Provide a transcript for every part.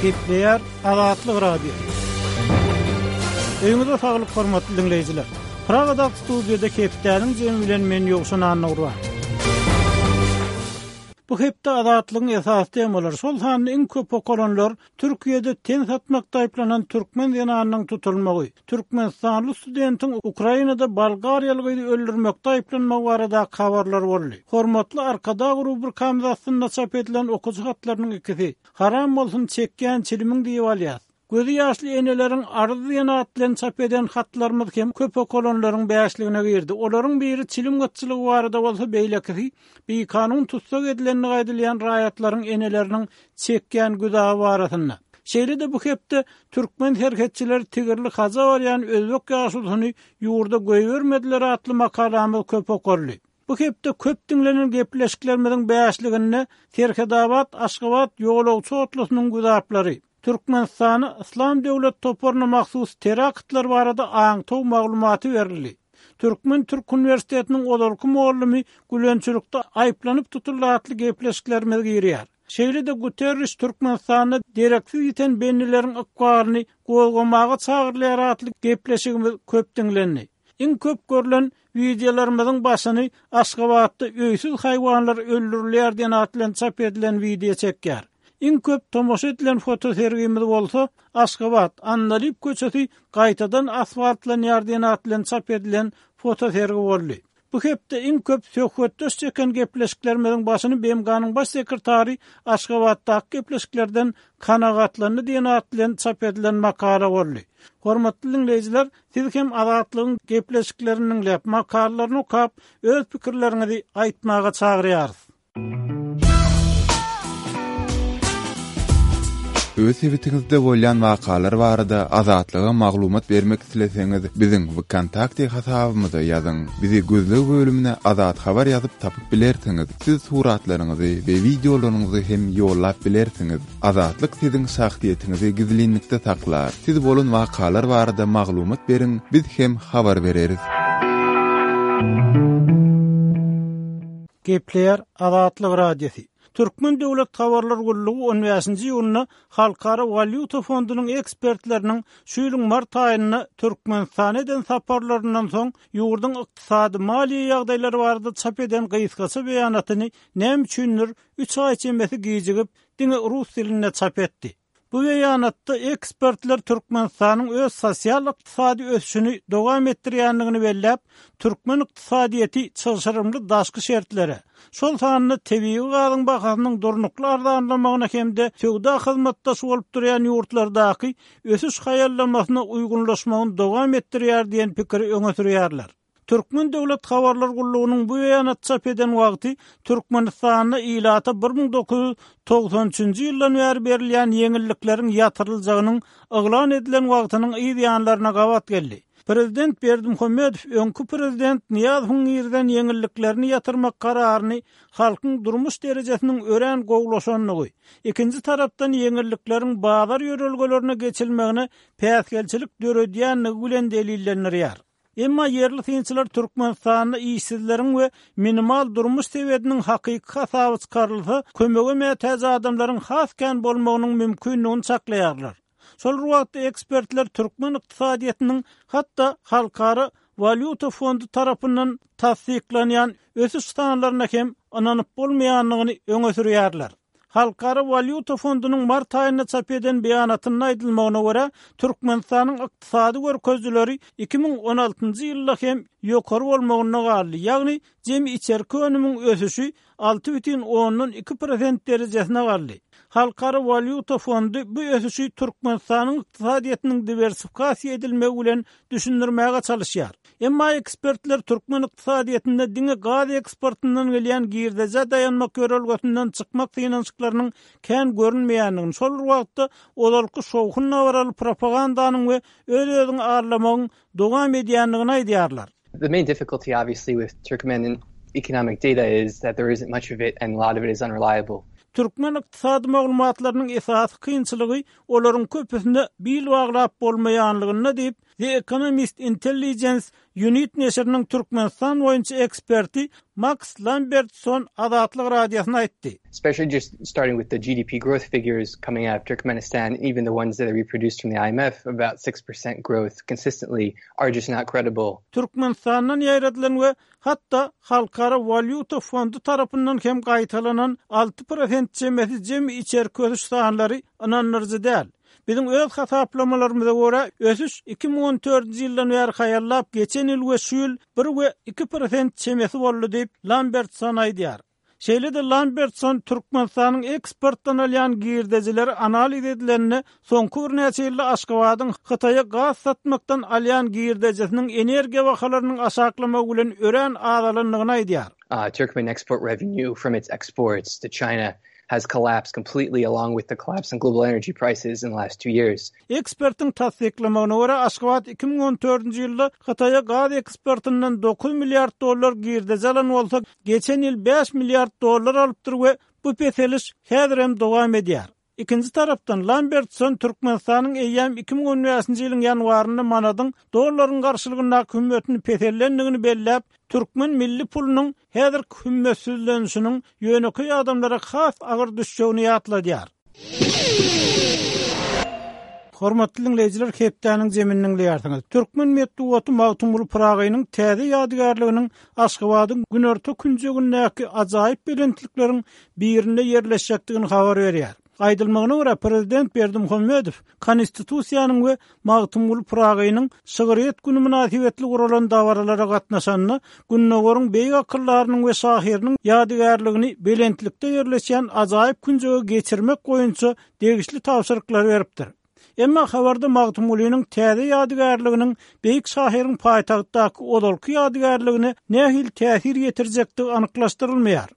Gepleýär Azatlyk Radiosy. Öýüňize saglyk hormatly diňleýjiler. Pragadaky studiýada hepdäniň jemi bilen men Ýowşan Annagurban. Bu hepde Azatlygyň esasy temalary, şol sanda iň köp okalanlar Türkiýede ten satmakda aýyplanan türkmen zenanynyň tutulmagy, türkmenistanly studentiň Ukrainada bolgariýaly gyzy öldürmekde aýyplanmagy baradaky habarlar boldy. Hormatly Arkadag rubrikamyz astynda çap edilen okyjy hatlarynyň ikisi, Haram bolsun çekýän çilimiň diýip alýas. Gözi ýaşly eneleriň arz diýen at bilen çap eden hatlarymyz hem köp okalanlaryň bäşligine girdi. Olaryň biri çilim gytçylygy barada bolsa, beýlekisi bikanun tussag edilendigi aýdylýan raýatlaryň eneleriniň çekýän güzaby barasynda. Şeýle-de bu hepde türkmen serhetçileri tigirli haja barýan özbek ýaşulusyny ýurda goýbermediler atly makalamyz köp okaldy. Bu hepde köp diňlenen gepleşiklerimiziň bäşliginde Serhetabat-Aşgabat ýolagçy otlusynyň güzaplary, Türkmenistana Yslam döwlet toparyna mahsus teraktlar barada aňtaw maglumaty berildi. Türkmen-türk uniwersitetiniň ozalky mugallymy gülençilikde aýyplanyp tutuldy atly gepleşiklerimiz girýär. Şeýle-de Guterriş Türkmenistanda dereksiz ýiten bendileriň ykbalyny gozgamaga çagyrylýar atly gepleşigimiz köp diňlendi. Iň köp görlen wideolarymyzyň başyny Aşgabatda öýsüz haýwanlar öldürilýär diýen at bilen çap edilen wideo çekýär. Iň köp tomaşa edilen fotosergimiz bolsa Aşgabat, Andalyp köçesi gaýtadan asfaltlanýar diýen at bilen çap edilen fotosergi boldy. Bu hepde iň köp söhbetdeş çeken gepleşiklerimiziň başyny BMG-niň Baş sekretary Aşgabatdaky gepleşiklerden kanagatlandy diýen at bilen çap edilen makala boldy. Hormatly diňleýjiler, siz hem Azatlygyň gepleşiklerini diňläp, makalalaryny okap, öz pikirleriňizi aýtmaga çagyrýarys. Öz sebitiňizde bolýan wakalar barada Azatlyga maglumat bermek isleseňiz, biziň Wkontakte hasabymyza ýazyň. Bizi gözleg bölümine Azat Habar ýazyp tapyp bilersiňiz. Siz suratlaryňyzy we wideolaryňyzy hem ýollap bilersiňiz. Azatlyk siziň şahsyýetiňizi gizlinlikde saklar. Siz bolan wakalar barada maglumat beriň, biz hem habar bereris. Gepleýär Azatlyk Radiosy. Türkmen döwlet habarlar gullugy on bäşinji iýunda Halkara walýuta fondunyň ekspertleriniň şu ýylyň mart aýynda Türkmenistana eden saparlaryndan soň ýurduň ykdysady-maliýe ýagdaýlary barada çap eden gysgaça beýanatyny näme üçindir üç aý çemesi gijigip, diňe rus dilinde çap etdi. Bu beýanatda ekspertler Türkmenistanyň öz sosial-ykdysady ösüşini dowam etdirýändigini belläp, türkmen ykdysadyýeti çylşyrymly daşky şertlere, şol sanda tebigy gazyň bahasynyň durnukly arzanlamagyna hem-de söwda hyzmatdaşy bolup durýan ýurtlardaky ösüş haýallamasyna uýgunlaşmagyny dowam etdirýär diýen pikiri öňe sürýärler. Türkmen döwlet habarlar gullugynyň bu beýanaty çap eden wagty Türkmenistanda ilata 1993 üçünji ýyldan bäri berilýän ýeňillikleriň ýatyryljagynyň yglan edilen wagtynyň yz ýanlaryna gabat geldi. Prezident Berdimuhamedow öňki prezident Nyýazowyň girizen ýeňilliklerini ýatyrmak kararyny halkyň durmuş derejesiniň örän gowulaşandygy, ikinji tarapdan ýeňillikleriň bazar ýörelgelerine geçilmegine päsgelçilik döredýändigi bilen delillendirýär. Emma ýerli synçylar Türkmenistanda işsizleriň we minimal durmuş sebediniň hakyky hasaby çykarylsa, kömege mätäç adamlaryň has kän bolmagynyň mümkindigini çaklaýarlar. Şol bir wagtda ekspertler türkmen ykdysadyýetiniň hatda Halkara walýuta fondy tarapyndan tassyklanýan ösüş sanlaryna hem ynanyp bolmaýandygyny öňe sürýärler. Halkara walýuta fondunyň mart aýynda çap eden beýanatynda aýdylmagyna görä, Türkmenistanyň ykdysady görkezijileri 2016-njy ýylda hem ýokary bolmagynda galdy, ýagny jemi içerki önümiň ösüşi 6,2 prosent derejesine galdy. Halkara walýuta fondy bu ösüşi Türkmenistanyň ykdysadyýetiniň diwersifikasiýa edilmegi bilen düşündirmäge çalyşýar. Emma ekspertler türkmen ykdysadyýetinde diňe gaz eksportyndan gelýän girdejä daýanmak ýörelgesinden çykmak synanyşyklarynyň kän görünmeýändigini, şol bir wagtda ozalky şowhun-dabaraly propagandanyň we öz-özüňi aldamagyň dowam edýändigini aýdýarlar. The main difficulty obviously with Turkmen economic data is that there isn't much of it and a lot of it is unreliable. Türkmen ykdysady maglumatlarynyň esasy kynçylygy olaryň köpüsine bil baglap bolmaýanlygynda diýip, The Economist Intelligence Unit neşiriniň Türkmenistan boýunça eksperti Maks Lambertson Azatlyk Radiosyna aýtdy. Especially just starting with the GDP growth figures coming out of Turkmenistan, even the ones that are reproduced from the IMF, about 6% growth consistently are just not credible. Türkmenistandan ýaýradylan we hatda Halkara walýuta fondy tarapyndan hem gaýtalanan 6% çemesi jemi içerki ösüş sanlary ynandyryjy däl. Biziň öz hasaplamalarymyza görä, ösüş 2014-nji ýyldan bäri haýallap, geçen ýyl we şu ýyl bir we 2% çemesi boldy diýip, Lambertson aýdýar. Şeýle-de Lambertson Türkmenistanyň eksportdan alýan girdejileri analiz edilende, soňky birnäçe ýylda Aşgabadyň Hytaýa gaz satmakdan alýan girdejisiniň energiýa bahalarynyň aşaklamagy bilen örän azalandygyny aýdýar. Turkmen export revenue from its exports to China has collapsed completely along with the collapse in global energy prices in the last two years. Ekspertiň tassyklamagyna görä, Aşgabat 2014-nji ýylda Hytaýa gaz eksportyndan 9 milliard dollar girdeji alan bolsa, geçen ýyl 5 milliard dollar alypdyr we bu peseliş häzir hem dowam edýär. Ikinji tarapdan, Lambertson Türkmenistanyň eýýäm 2015-nji ýylyň ýanwarynda manadyň dollaryň garşylygyndaky hümmetini peseldendigini belläp, türkmen milli pulunyň häzirki hümmetsizlenişiniň ýönekeý adamlara has agyr düşjegini ýatladýar. Hormatly diňleýjiler, hepdäniň jemini diňleýärsiňiz. Türkmen metbugaty Magtymguly Pyragynyň täze ýadygärliginiň Aşgabadyň günorta künjegindäki ajaýyp belentlikleriň birinde ýerleşjekdigini habar berýär. Aýdylmagyna görä, prezident Berdimuhamedow Konstitusiýanyň we Magtymguly Pyragynyň şygryýet güni mynasybetli guralan dabaralara gatnaşanda, Gündogaryň beýik akyldarynyň we şahyrynyň ýadygärligini belentlikde ýerleşýän ajaýyp künjege geçirmek boýunça degişli tabşyryklary beripdir. Emma habarda Magtymgulynyň täze ýadygärliginiň beýik şahyryň paýtagtdaky ozalky ýadygärligine nähili täsir ýetirjekdigi anyklaşdyrylmaýar.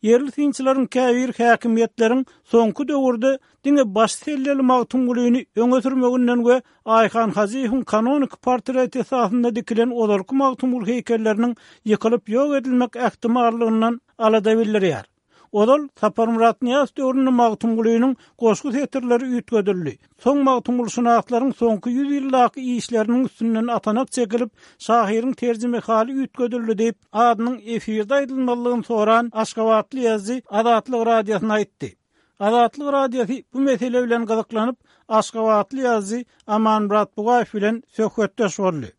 Ýerli synçylaryň käbiri häkimiýetleriň soňky döwürde diňe baş selleli Magtymgulyny öňe sürmeginden we Aýhan Hajyýewiň kanoniki portreti esasynda dikilen ozalky Magtymguly heýkelleriniň ýykylyp ýok edilmek ähtimallygyndan alada bildirýär. Ozal Saparmyrat Nyýazow döwründe Magtymgulynyň goşgy setirleri üýtgedildi. Soň magtymgulyşynaslaryň soňky ýüz ýyldaky işleriniň üstünden atanak çekilip, şahyryň terjimehaly üýtgedildi diýip, adynyň efirde aýdylmazlygyny soran aşgabatly ýazyjy Azatlyk Radiosyna aýtdy. Azatlyk Radiosy bu mesele bilen gyzyklanyp, aşgabatly ýazyjy Amanmyrat Bugaýew bilen söhbetdeş boldy.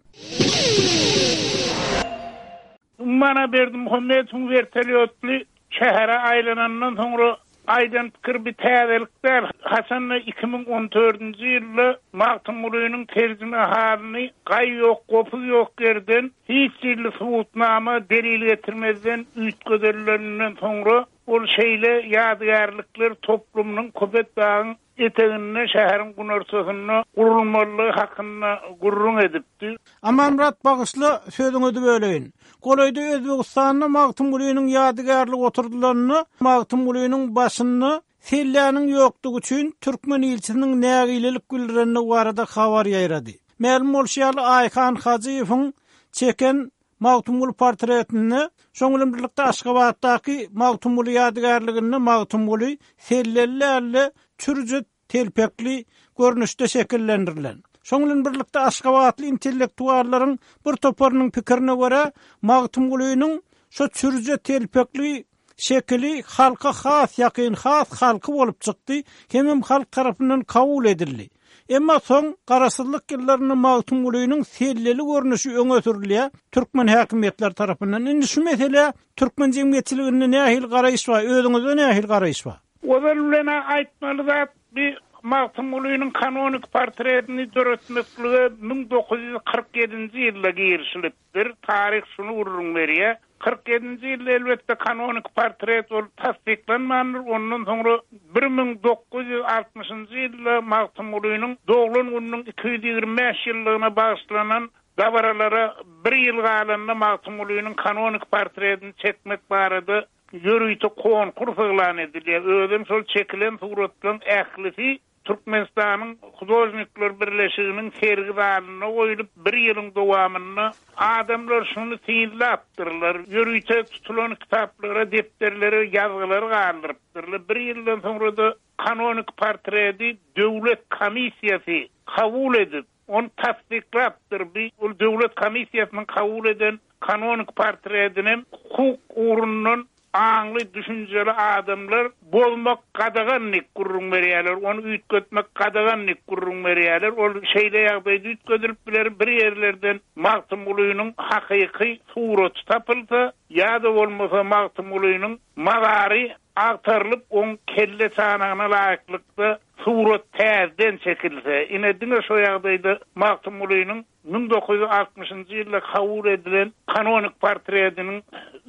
Umuman-a Berdimuhamedowyň wertolýotly şähere aýlanandan soňra aýdan pikiri bir täzelik däl. Haçan-da 2014-nji ýylda Magtymgulynyň terjimehalyny gaý ýok, gopuz ýok ýerden, hiç hili subutnama, delil getirmezden üýtgedenlerinden soňra ol şeýle ýadygärlikler toplumynyň Köpetdagyň eteginde, şäheriň günortasynda gurulmalydygy hakynda gürrüň edipdi. Amanmyrat bagyşla sözüňizi böleýin. Golaýda Özbegistanda Magtymgulynyň ýadygärligi oturdylanda Magtymgulynyň başynda selläniň ýokdugy üçin türkmen ilçisiniň nägilelik bildirendigi barada habar ýaýrady. Mälim bolşy ýaly Aýhan Hajyýewiň çeken Magtymguly portretinde, şoň bilen birlikde Aşgabatdaky Magtymguly ýadygärliginde Magtymguly selleli däl-de, çürje telpekli görnüşde şekillendirilen. Şoň bilen birlikde aşgabatly intellektuallaryň bir toparynyň pikirine görä, Magtymgulynyň şo çürje telpekli şekili halka has ýakyn, has halky bolup çykdy, hemem halk tarapyndan kabul edildi. Emma soň Garaşsyzlyk ýyllarynda Magtymgulynyň selleli görnüşi öňe sürülýär türkmen häkimiýetleri tarapyndan. Indi şu meselä türkmen jemgyýetçiliginde nähili garaýyş bar, özüňizde nähili garaýyş bar? Ozal bilen-ä aýtmaly zat, bi Magtymgulynyň kanonik portretini döretmeklige 1947-nji ýylda girişilipdir, taryh şuny gürrüň berýär. 47-nji ýylda elbetde kanonik portret ol tassyklanmandyr, ondan soňra 1960-njy ýylda Magtymgulynyň doglan gününiň 225 ýyllygyna bagyşlanan dabaralara bir ýyl galanda Magtymgulynyň kanonik portretini çekmek barada ýörite konkurs yglan edilýär. Özem şol çekilen suratlaryň ählisi Türkmenistanyň Hudožnikler birleşiginiň sergi zalynda goýlup, bir ýylyň dowamynda adamlar şuny synlapdyrlar, ýörite tutulan kitaplara, depderlere ýazgylar galdyrypdyrlar. Bir ýyldan soňra-da kanonik portreti döwlet komissiýasy kabul edip, ony tassyklapdyr. Bi ol döwlet komissiýasynyň kabul eden kanonik portredinem hukuk ugrundan aňly, düşünjeli adamlar bozmak gadagan diýip gürrüň berýärler, ony üýtgetmek gadagan diýip gürrüň berýärler. Ol şeýle ýagdaýda üýtgedilip biler, bir ýerlerden Magtymgulynyň hakyky suraty tapylsa, ýa-da bolmasa Magtymgulynyň mazary agtarylyp, oň kelle çanagyna laýyklykda surat täzeden çekilse, ine diňe şo ýagdaýda Magtymgulynyň 1960-njy ýylda kabul edilen kanonik portretiniň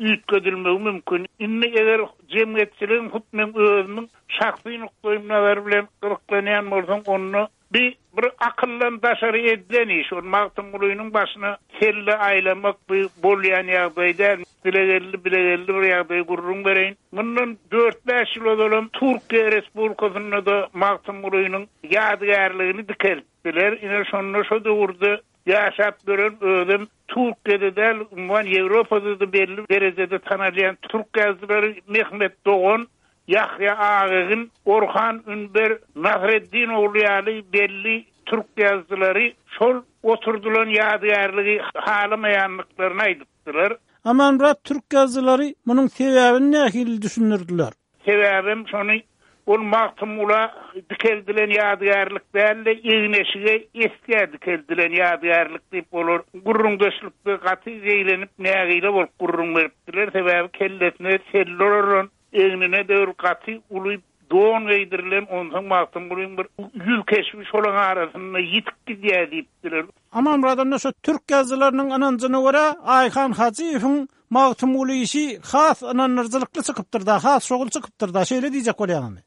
üýtgedilmegi mümkin. Indi eger jemgyýetçiligiň hut meň özümiň şahsy nukdaýym nazary bilen gyzyklanýan bolsaň, onda bi bir akyldan daşary edilen iş. Ol Magtymgulynyň başyna kelle aýlamak bi bolýan ýagdaý däl. Dile geldi, bile geldi bir ýagdaýy gürrüň bereýin. Mundan dört-bäş ýyl ozalam Türkiýe Respublikasynda-da Magtymgulynyň ýadygärligini dikeltdiler. Ine şonda şo döwürde ýaşap ýören özem Türkiýede däl, umuman Ýewropada-da belli derejede tanalýan türk ýazyjylary Mehmet Dogan, Ýahýa Agegin, Orhan Ünber, Nasreddin ogly ýaly belli türk ýazyjylary şol oturdylan ýadygärligi halamaýandyklaryny aýdypdylar. Amanmyrat türk ýazyjylary munuň sebäbini nähili düşündirdiler? Sebäbem şony ol Magtymgula dikeldilen ýadygärlik däl-de, egin-eşige, esgä dikeldilen ýadygärlik diýip olar gürrüňdeşlikde gaty zeýrenip, nägile bolup gürrüň beripdiler. Sebäbi kellesine selle oralan, egnine-de bir gaty uly don geýdirilen, onsoň Magtymgulyň bir ýüz keşbi şolaň arasynda ýitip gidýär diýipdiler. Amanmyrat onda şu türk ýazyjylarynyň ynanjyna görä Aýhan Hajyýewiň Magtymguly işi has ynandyryjylykly çykypdyr-da, has şowly çykypdyr-da, şeýle diýjek bolýaňyzmy?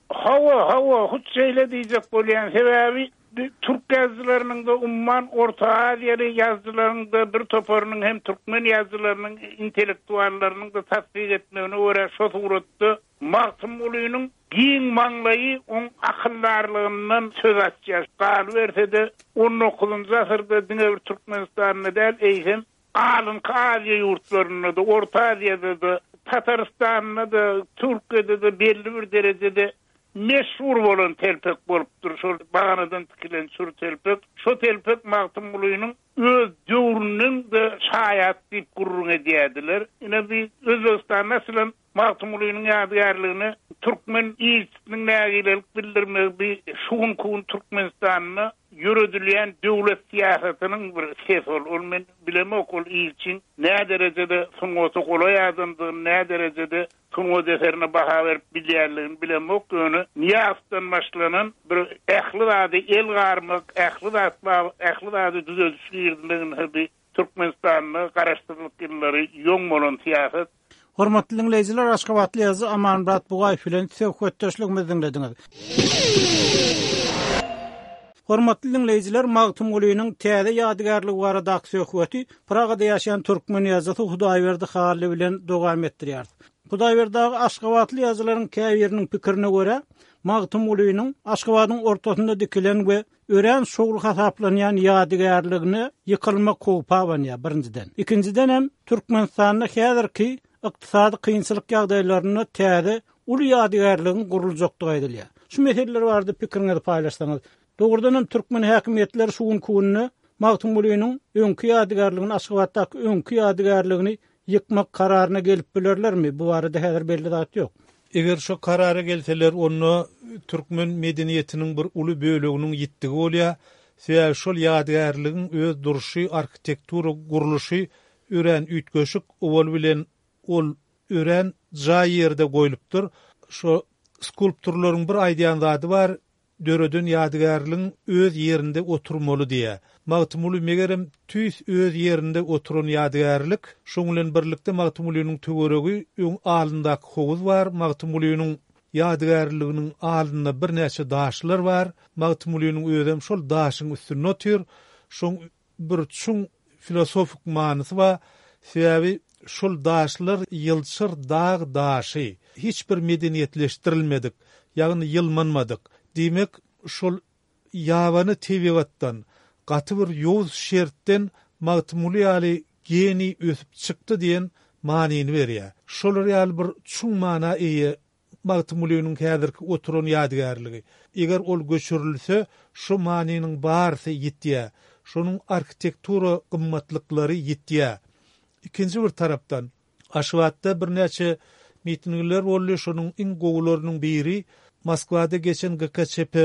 Hawa, hawa, hut şeýle diýjek bolýan. Sebäbi türk ýazyjylarynyň-da, umuman, Orta Aziýaly ýazyjylaryň-da bir toparynyň hem türkmen ýazyjylarynyň, intellektuallarynyň-da tassyk etmegine görä, şo suratda Magtymgulynyň giň maňlaýy oň akyldarlygyndan söz açýar. Galyberse-de, on dokuzynjy asyrda diňe bir Türkmenistanda däl, eýsem, Alynky Aziýa ýurtlarynda-da, Orta Aziýada-da, Tatarystanda-da, Türkiýede-de belli bir derejede meşhur bolan telpek bolupdyr şol baganadan tikilen çür telpek. Şo telpek Magtymgulynyň öz döwrüniň-de şaýaty diýip gürrüň edýärdiler. Ine, bi Özbegistanda açylan Magtymgulynyň ýadygärligine türkmen ilçisiniň nägilelik bildirmegi bi şu günki gün Türkmenistanda ýöredilýän döwlet syýasatynyň bir sesi ol. Ol men bilemok ol ilçiň näderejede sungata golaý adamdygyny, näderejede sungat eserine baha berip bilýänligini bilemok, ýöne Nyýazowdan başlanan bir ähli zady el garmak, ähli zat ähli zady düzediş girizmegini bi Türkmenistanda garaşsyzlyk ýyllary ýoň bolan syýasat. Hormatly diňleýjiler, aşgabatly ýazyjy Amanmyrat Bugaýew bilen söhbetdeşligimizi diňlediňiz. Hormatly diňleýjiler, Magtymgulynyň täze ýadygärligi baradaky söhbeti Pragada ýaşaýan türkmen ýazyjysy Hudaýberdi Hally bilen dowam etdirýäris. Hudaýberdi aga, aşgabatly ýazyjylaryň käbiriniň pikirine görä, Magtymgulynyň Aşgabadyň ortasynda dikilen we örän şowly hasaplanýan ýadygärligine ýykylmak howpy abanýar, birinjiden. Ikinjidenem, Türkmenistanda häzirki ykdysady kynçylyk ýagdaýlarynda täze uly ýadygärligiň guruljakdygy aýdylýar. Şu meseleler barada pikiriňizi paýlaşsaňyz. Dogrudanam, türkmen häkimiýetleri şu günki günde Magtymgulynyň öňki ýadygärligini, Aşgabatdaky öňki ýadygärligini ýykmak kararyna gelip bilerlermi? Bu barada häzir belli zat ýok. Eger şo karara gelseler, onda türkmen medeniýetiniň bir uly böleginiň ýitdigi bolýar. Sebäbi şol ýadygärligiň öz durşy, arhitektura gurluşy örän üýtgeşik. Owal bilen ol örän jaý ýerde goýlupdyr. Şo skulpturlaryň bir aýdýan zady bar, Döreden ýadygärligiň öz ýerinde oturmaly diýýär. Magtymguly megerem tüýs öz ýerinde oturan ýadygärlik. Şoň bilen birlikde Magtymgulynyň töweregi öň alyndaky howuz bar, Magtymgulynyň ýadygärliginiň alynda birnäçe daşlar bar. Magtymgulynyň özem şol daşyň üstünde otyr. Şoň bir çuň filosofik manysy bar. Sebäbi şol daşlar ýylçyr dag daşy. Hiç bir medeniýetleşdirilmedik, ýagny ýylmanmadyk. Diýmek, şol ýabany tebigatdan, gaty bir ýowuz şertden Magtymguly ýaly geniý ösüp çykdy diýen manyny berýär. Şolar ýaly bir çuň mana eýe. Magtymgulynyň häzirki oturan ýadygärligi. Eger ol göçürilse, şu manynyň barysy ýitýär. Şonuň arhitektura gymmatlyklary ýitýär. Ikinji bir tarapdan, Aşgabatda birnäçe mitingler boldy, şonuň iň gowularynyň biri Moskwada geçen GKÇP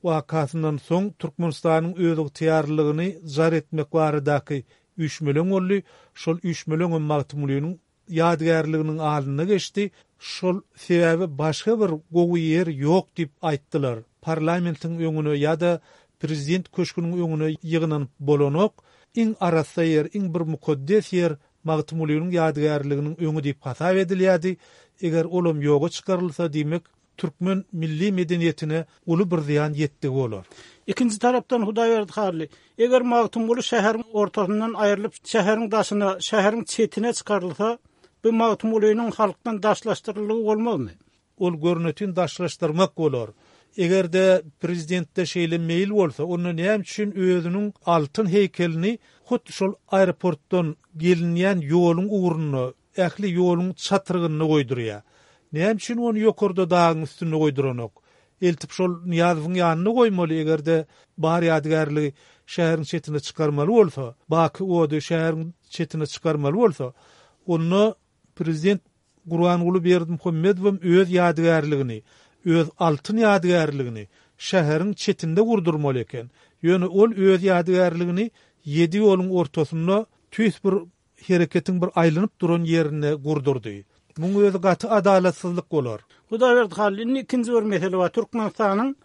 wakasyndan soň Türkmenistanyň özygtyýarlylygyny jar etmek baradaky üýşmeleň boldy. Şol üýşmeleňem Magtymgulynyň ýadygärliginiň alnynda geçdi. Şol sebäbi başga bir gowy ýer ýok diýip aýtdylar. Parlamentiň öňüne ýa-da prezident köşgüniň öňüne ýygnanyp bolanok. Iň arassa ýer, iň bir mukaddes ýer Magtymgulynyň ýadygärliginiň öňi diýip hasap edilýärdi. Eger olam ýoga çykarylsa, diýmek, türkmen milli medeniýetine uly bir zyýan ýetdigi bolar. Ikinji tarapdan Hudaýberdi Hally, eger Magtymguly şäheriň ortasyndan aýrylyp, şäheriň daşyna, şäheriň çetine çykarylsa, bu Magtymgulynyň halkdan daşlaşdyryldygy bolmazmy? Ol görnetin daşlaşdyrmak bolar. Eger-de prezidentde şeýle meýil bolsa, onda näme üçin özüniň altyn heýkelini hut şol aeroportdan gelinýän ýoluň ugrunda, ähli ýoluň çatrygynda goýdurýar? Näme üçin ony ýokarda dagyň üstünde goýduranok? Eltip şol Nyýazowyň ýanynda goýmaly, eger-de bar ýadygärligi şäheriň çetine çykarmaly bolsa, baky ody şäheriň çetine çykarmaly bolsa, onda prezident Gurbanguly Berdimuhamedowam öz ýadygärligini, öz altyn ýadygärligini şäheriň çetinde gurdurmaly eken. Ýöne ol öz ýadygärligini ýedi ýoluň ortasynda tüýs bir hereketiň bir aýlanyp duran ýerinde gurdurdy. Muň özi gaty adalatsyzlyk bolar. Hudaýberdi Hally, indi ikinji bir mesele bar. Türkmenistanyň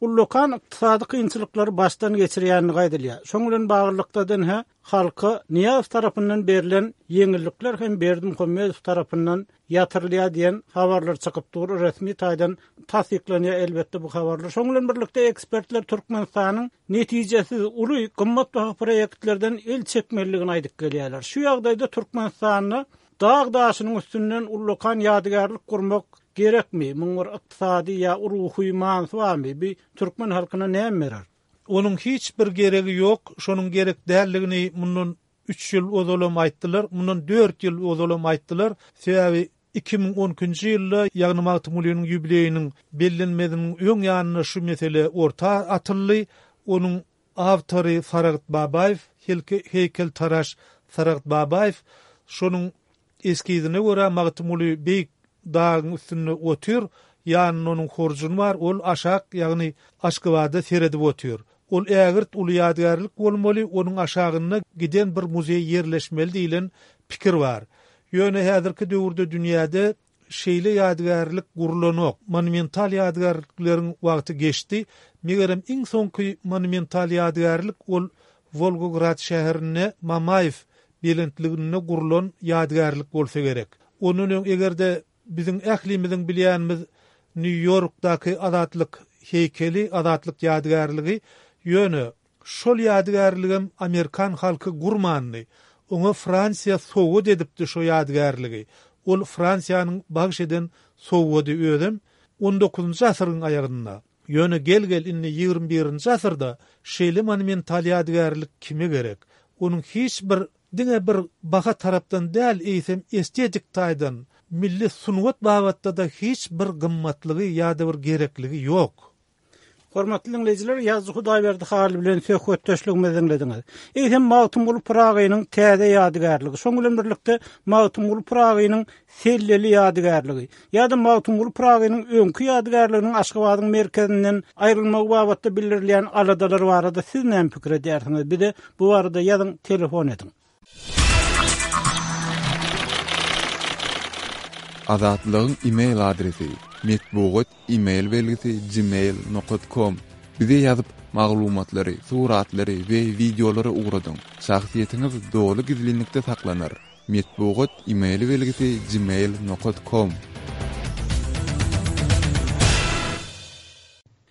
ullakan ykdysady kynçylyklary başdan geçirýändigi aýdylýar. Şoň bilen baglylykda-da ine, Halka Nyýazow tarapyndan berlen ýeňillikler hem Berdimuhamedow tarapyndan ýatyrylýar diýen habarlar çykyp dur, resmi taýdan tassyklanýar elbetde bu habarlar. Şoň bilen birlikde ekspertler Türkmenistanyň netijesiz uly gymmatbaha proýektlerden el çekmelidigini aýdyp gelýärler. Şu ýagdaýda Türkmenistanda dag daşynyň üstünden ullakan ýadygärlik gurmak gerekmi? Muň bir ykdysady ýa ruhy manysy barmy? Bu türkmen halkyna näme berer? Onuň hiç bir geregi ýok, şonuň gerek däldigini mundan üç ýyl ozalam aýtdylar, mundan dört ýyl ozalam aýtdylar. Sebäbi 2012-nji ýylda, ýagny Magtymgulynyň ýubileýiniň bellenmeziniň öň ýanynda şu mesele orta atyldy. Onuň awtory Saragt Babaýew, heýkeltaraş Saragt Babaýew. Şonuň Eskizine görä Magtymguly beýik dagyň üstünde otyr, ýanynda onuň horjuny bar, ol aşak, ýagny Aşgabada seredip otyr. Ol ägirt uly ýadygärlik bolmaly, onuň aşagynda giden bir muzeý ýerleşmeli diýlen pikir bar. Ýöne häzirki döwürde dünýäde şeýle ýadygärlik gurlanok. Monumental ýadygärlikleriň wagty geçdi. Megerem iň soňky monumental ýadygärlik ol Wolgograd şäherinde Mamaýew belentliginde gurlan ýadygärlik bolsa gerek. Ondan öň eger-de biziň ählimiziň bilýänimiz Nýu-Ýorkdaky Azatlyk heýkeli, Azatlyk ýadygärligi, ýöne şol ýadygärligem amerikan halky gurmandy. Oňa Fransiýa sowgat edipdi şo ýadygärligi. Ol Fransiýanyň bagş eden sowgady özem on dokuzynjy asyryň aýagynda. Ýöne gel-gel indi ýigrimi birinji asyrda şeýle monumental ýadygärlik kime gerek? Onuň hiç bir diňe bir baha tarapdan däl, eýsem estetik taýdan, milli sungat babatda-da hiç bir gymmatlygy ýa-da bir gerekligi ýok. Hormatly diňleýjiler, ýazyjy Hudaýberdi Hally bilen söhbetdeşligimizi diňlediňiz. Eýsem Magtymguly Pyragynyň täze ýadygärligi, şoň bilen birlikde Magtymguly Pyragynyň Selleli ýadygärligi ýa-da Magtymguly Pyragynyň öňki ýadygärliginiň Aşgabadyň merkezinden aýrylmagy babatda bildirilýän aladalar barada siz näme pikir edýärsiňiz? Bize bu barada ýazyň, telefon ediň. Azatlygyň e-mail adresi, metbugat e-mail belgisi gmail nokat kom. Bize ýazyp, maglumatlary, suratlary we wideolary ugradyň. Şahsyýetiňiz doly gizlinlikde saklanar. Metbugat e-mail belgisi gmail nokat kom.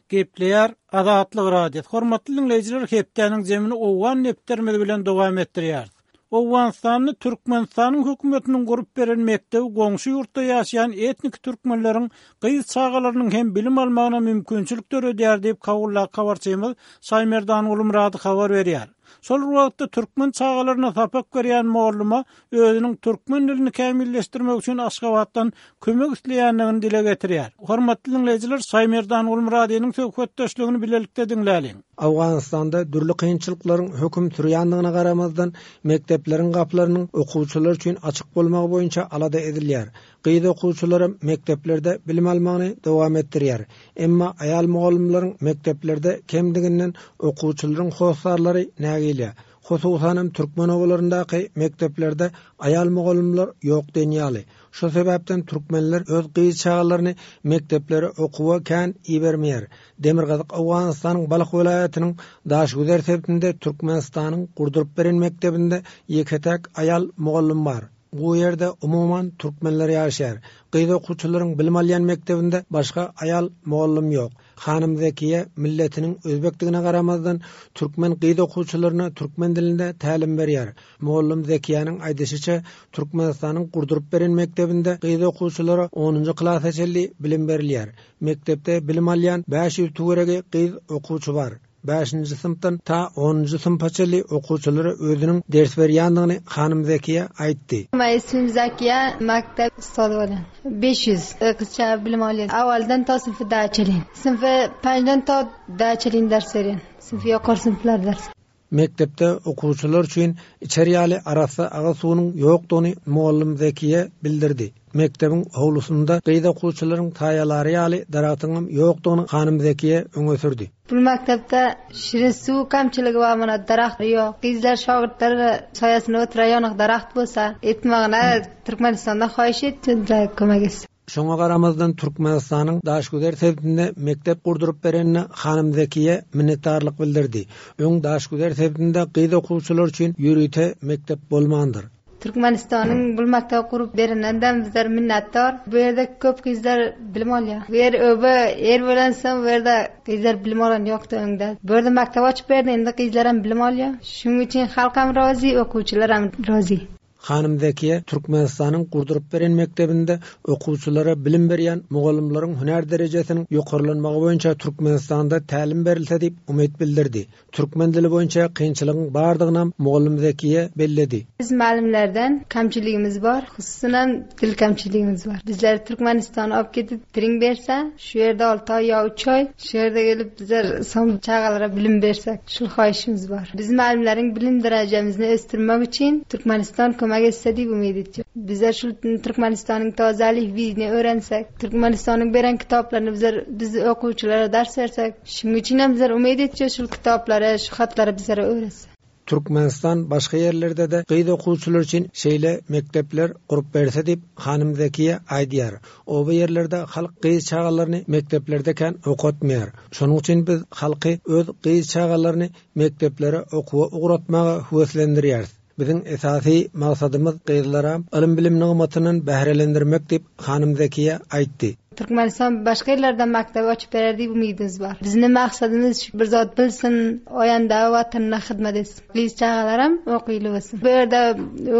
Gepleýär Azatlyk Radiosy. Hormatly diňleýjiler hepdäniň jemini owgan depderimiz bilen dowam etdirýäris. Owganystanda Türkmenistanyň hökümetiniň gurup beren mekdebi goňşy ýurtda ýaşaýan etniki türkmenleriň gyz çagalarynyň hem bilim almagyna mümkinçilik döredýär diýip Kabuldaky habarçymyz Şaýmerdan Gulmyrady habar berýär. Şol bir wagtda türkmen çagalaryna sapak berýän molluma özüniň türkmen dilini kämilleşdirmek üçin Aşgabatdan kömek isleýändigini dile getirýär. Hormatly diňleýjiler, Şaýmerdan Gulmyradynyň söhbetdeşligini bilelikde diňläliň. Owganystanda dürli kynçylyklaryň höküm sürýändigine garamazdan, mekdepleriň gapylarynyň okuwçylar üçin açyk bolmagy boýunça alada edilýär. Gyz okuwçylaram mekdeplerde bilim almagyny dowam etdirýär. Emma aýal mugallymlaryň mekdeplerde kemdiginden okuwçylaryň hossarlary nägile. Hususanam türkmen obalaryndaky mekdeplerde aýal mugallymlar ýok diýen ýaly. Şo sebäpden türkmenler öz gyz çagalaryny mekdeplere okuwa kän ibermeýär. Demirgazyk Owganystanyň Balh welaýatynyň Daşgüzer sebitinde Türkmenistanyň gurduryp beren mekdebinde ýeke-täk aýal mugallym bar. Bu ýerde umuman türkmenler ýaşaýar. Gyz okuwçylaryň bilim alýan mekdebinde başga aýal mugallym ýok. Hanym Zekiýe milletiniň özbekdigine garamazdan, türkmen gyz okuwçylaryna türkmen dilinde tälim berýär. Mugallym Zekiýäniň aýdyşyça, Türkmenistanyň gurduryp beren mekdebinde gyz okuwçylara onunjy klasa çenli bilim berilýär. Mekdepde bilim alýan 500 töweregi gyz okuwçy bar. Bäşinji synpdan ta onunjy synpa çenli okuwçylara özüniň ders berýändigini hanym Zekiýe aýtdy. Meň ismim Zekiýe, mekdep ustazy bolýan. 500 gyz çaga bilim alýar. Awaldan ta synpy dä çenli. Synpy penjden ta dä çenli ders berýän. Synpy ýokary synplar ders. Mekdepde okuwçylar üçin içer ýaly arassa agyz suwunyň ýokdugyny mugallym Zekiýe bildirdi. Mekdebiň howlusynda gyz okuwçylaryň saýalary ýaly daragtyňam ýokdugyny hanym Zekiýe öňe sürdi. Bu mekdepde şirin suw kemçiligi bar, muna daragt ýok. Gyzlar şagirtler saýasynda oturýan daragt bolsa, etmegine Türkmenistandan haýyş etsinler kömek etsin. Şoňa garamazdan Türkmenistanyň Daşgüzer sebitinde mekdep gurduryp berenine hanym Zekiýe minnetdarlyk bildirdi. Öň Daşgüzer sebitinde gyz okuwçylar üçin ýörite mekdep bolmandyr. Türkmenistanyň bul mekdep gurup bereninden bizler minnetdar. Bu ýerde köp gyzlar bilim alýar. Bu ýer öbe ýer bolansoň bu ýerde gyzlar bilim alan ýokdy öňde. Bu ýerde mekdep açyp berdi indi gyzlaram bilim alýar. Şunuň üçin halkam razy okuwçylaram razy. Hanym Zekiýe Türkmenistanyň gurduryp beren mekdebinde okuwçylara bilim berýän mugallymlaryň hünär derejesiniň ýokarlanmagy boýunça Türkmenistanda tälim berilse diýip umyt bildirdi. Türkmen dili boýunça kynçylygyň bardygynam mugallym Zekiýe belledi. Biz mugallymlardan kemçiligimiz bar, hususanam dil kemçiligimiz bar. Bizleri Türkmenistana alyp gidip tring berse, şu ýerde alty aý ýa üç aý, şu ýerde gelip bizler soň çagalara bilim bersek, şul haýyşymyz bar. Biz mugallymlaryň bilim derejemizni ösdürmek üçin Türkmenistan kömek etse diýip umyt etýän. Bizler şul Türkmenistanyň täze elifbini öwrensek, Türkmenistanyň beren kitaplaryny bizler biz okuwçylara ders bersek, şunuň üçinem bizler umyt etýäs şul kitaplary, şu hatlary bizlere öwretse. Türkmenistan başga ýerlerde-de gyz okuwçylar üçin şeýle mekdepler gurup berse diýip, hanym Zekiýe aýdýar. Oba ýerlerde halk gyz çagalaryny mekdeplerde kän okatmaýar. Şonuň üçin biz halky öz gyz çagalaryny mekdeplere okuwa ugratmaga höweslendirýäris. Biziň esasy maksadymyz gyzlaram ylym-bilim nygmatyndan bährelendirmek diýip, hanym Zekiýe aýtdy. Türkmenistan başga ýerlerde mekdep açyp berer diýip umydymyz bar. Bizniň maksadymyz şu bir zat bilsin, oýanda watanyna hyzmat etsin. Gyz çagalaram okyly bolsun. Bu ýerde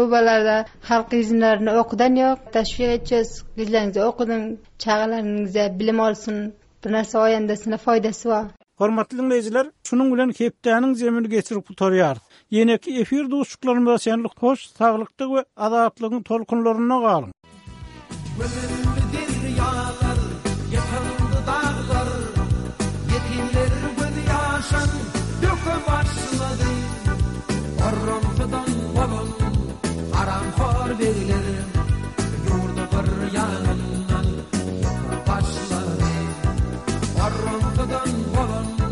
obalarda halk gyzlaryny okudan ýok. Teşwik etjez, gyzlaryňyzy okudyň, çagalaryňyza bilim olsun, bir narsa oýandasyna foýdasy bar. Hormatly diňleýjiler, şunuň bilen hepdäniň jemini geçirip gutarýarys. Ýeneki efir duşuşyklarymyza çenli hoş saglykda we azatlygyň tolkunlarynda galyň! Gömüldi derýalar, ýykyldy daglar, Ýetimler gözýaşyn döke başlady. Orramsydan bolan haramhor begler Ýurdy bir ýanyndan ýyka başlady. Orramsydan bolan.